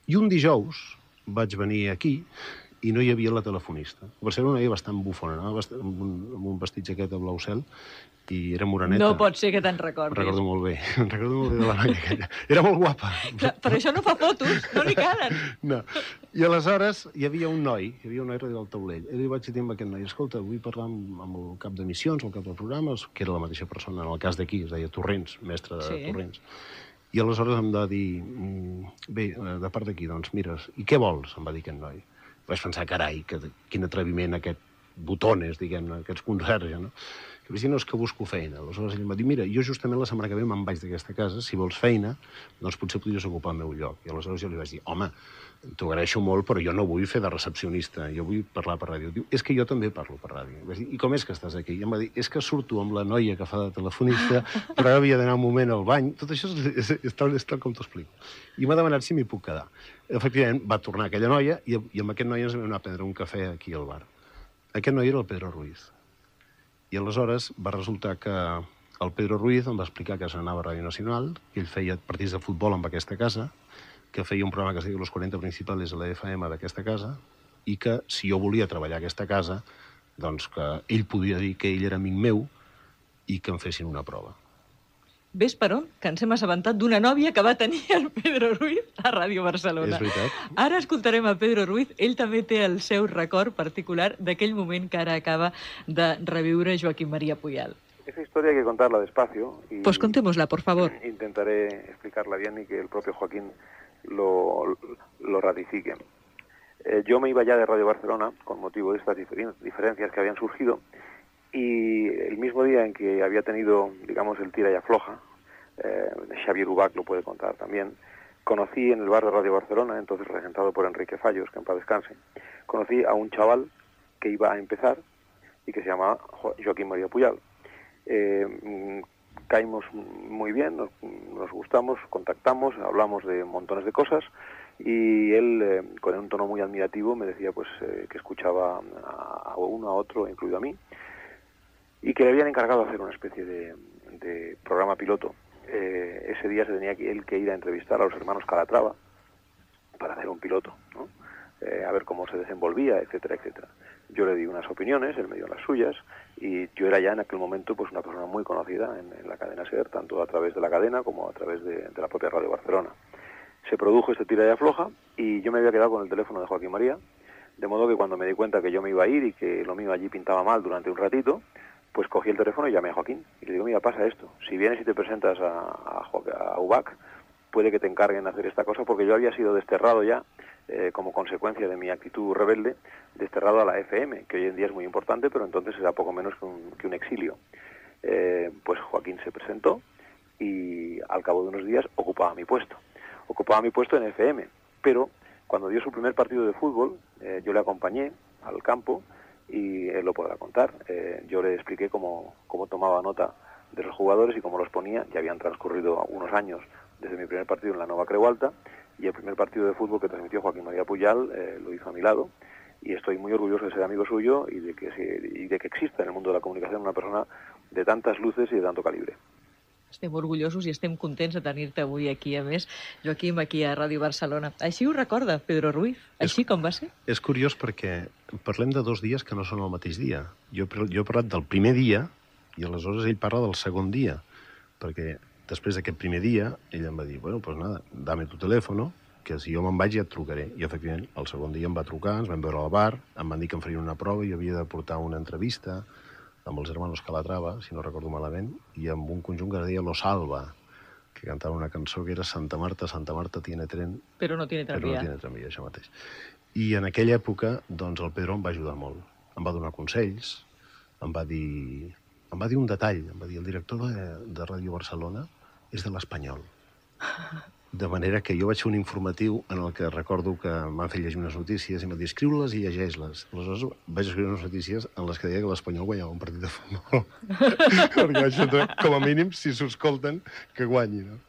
I un dijous vaig venir aquí i no hi havia la telefonista. Per ser una noia bastant bufona, no? Amb un vestit jaqueta blau cel, i era moreneta. No pot ser que te'n recordis. Recordo molt bé. Recordo molt bé de la noia aquella. Era molt guapa. Per això no fa fotos, no li calen. No. I aleshores hi havia un noi darrere del taulell. I li vaig dir a aquest noi, escolta, vull parlar amb el cap de missions, el cap de programes, que era la mateixa persona, en el cas d'aquí, es deia Torrents, mestre de Torrents. I aleshores em va dir, bé, de part d'aquí, doncs, mira, i què vols? Em va dir aquest noi. Vaig pensar, carai, quin atreviment aquest botones, diguem-ne, aquests conserges, no? Que vaig dir, no, és que busco feina. Aleshores ell em va dir, mira, jo justament la setmana que ve me'n vaig d'aquesta casa, si vols feina, doncs potser podries ocupar el meu lloc. I aleshores jo li vaig dir, home, t'ho agraeixo molt, però jo no vull fer de recepcionista, jo vull parlar per ràdio. Diu, és que jo també parlo per ràdio. Vaig dir, i com és que estàs aquí? I em va dir, és que surto amb la noia que fa de telefonista, però ara havia d'anar un moment al bany. Tot això és tal com t'ho explico. I m'ha demanat si m'hi puc quedar. Efectivament, va tornar aquella noia i amb aquest noi ens vam anar a prendre un cafè aquí al bar. Aquest noi era el Pedro Ruiz. I aleshores va resultar que el Pedro Ruiz em va explicar que s'anava a Ràdio Nacional, que ell feia partits de futbol amb aquesta casa, que feia un programa que es deia Los 40 Principales a la FM d'aquesta casa, i que si jo volia treballar a aquesta casa, doncs que ell podia dir que ell era amic meu i que em fessin una prova. Ves per on? Que ens hem assabentat d'una nòvia que va tenir el Pedro Ruiz a Ràdio Barcelona. És veritat. Ara escoltarem a Pedro Ruiz. Ell també té el seu record particular d'aquell moment que ara acaba de reviure Joaquín María Puyal. Esa historia hay que contarla despacio. Pues contémosla, por favor. Intentaré explicarla bien y que el propio Joaquín lo ratifique. Yo me iba ya de Radio Barcelona con motivo de estas diferencias que habían surgido, y el mismo día en que había tenido, digamos, el tira y afloja, Xavier Ubach lo puede contar también, conocí en el bar de Radio Barcelona, entonces regentado por Enrique Fallos, que en paz descanse, conocí a un chaval que iba a empezar y que se llamaba Joaquín María Puyal. Caímos muy bien, nos gustamos, contactamos, hablamos de montones de cosas, y él, con un tono muy admirativo, me decía pues que escuchaba a uno, a otro, incluido a mí, y que le habían encargado hacer una especie de programa piloto. Ese día se tenía él que ir a entrevistar a los hermanos Calatrava para hacer un piloto, ¿no? A ver cómo se desenvolvía, etcétera, etcétera. Yo le di unas opiniones, él me dio las suyas, y yo era ya en aquel momento pues una persona muy conocida en la cadena SER, tanto a través de la cadena como a través de la propia Radio Barcelona. Se produjo este tira y afloja, y yo me había quedado con el teléfono de Joaquín María, de modo que cuando me di cuenta que yo me iba a ir y que lo mío allí pintaba mal durante un ratito, pues cogí el teléfono y llamé a Joaquín. Y le digo, mira, pasa esto. Si vienes y te presentas a Ubach, puede que te encarguen de hacer esta cosa, porque yo había sido desterrado ya, como consecuencia de mi actitud rebelde, desterrado a la FM, que hoy en día es muy importante, pero entonces era poco menos que un exilio. Pues Joaquín se presentó y al cabo de unos días ocupaba mi puesto. Ocupaba mi puesto en FM, pero cuando dio su primer partido de fútbol, yo le acompañé al campo, y él lo podrá contar. Yo le expliqué cómo tomaba nota de los jugadores y cómo los ponía. Ya habían transcurrido unos años desde mi primer partido en la Nova Creu Alta, y el primer partido de fútbol que transmitió Joaquín María Puyal lo hizo a mi lado, y estoy muy orgulloso de ser amigo suyo y de que exista en el mundo de la comunicación una persona de tantas luces y de tanto calibre. Estem orgullosos i estem contents de tenir-te avui aquí, a més, Joaquim, aquí a Ràdio Barcelona. Així ho recorda Pedro Ruiz? Així com va ser? És curiós perquè parlem de 2 dies que no són el mateix dia. Jo he parlat del primer dia i aleshores ell parla del segon dia, perquè després d'aquest primer dia ell em va dir, bueno, pues nada, dame tu teléfono, que si jo me'n vaig ja et trucaré. I efectivament, el segon dia em va trucar, ens vam veure al bar, em van dir que em farien una prova i jo havia de portar una entrevista amb els hermanos Calatrava, si no recordo malament, i amb un conjunt que es deia Lo Salva, que cantava una cançó que era Santa Marta tiene tren... Però no tiene tranvía. Però no tiene tranvía, això mateix. I en aquella època, doncs, el Pedro em va ajudar molt. Em va donar consells, em va dir un detall, em va dir, el director de Ràdio Barcelona és de l'Espanyol. De manera que jo vaig fer un informatiu en el que recordo que m'han fet llegir unes notícies i m'han dit, escriu-les i llegeix-les. Aleshores vaig escriure unes notícies en les que deia que l'Espanyol guanyava un partit de futbol. Perquè això, com a mínim, si s'ho escolten, que guanyi, no?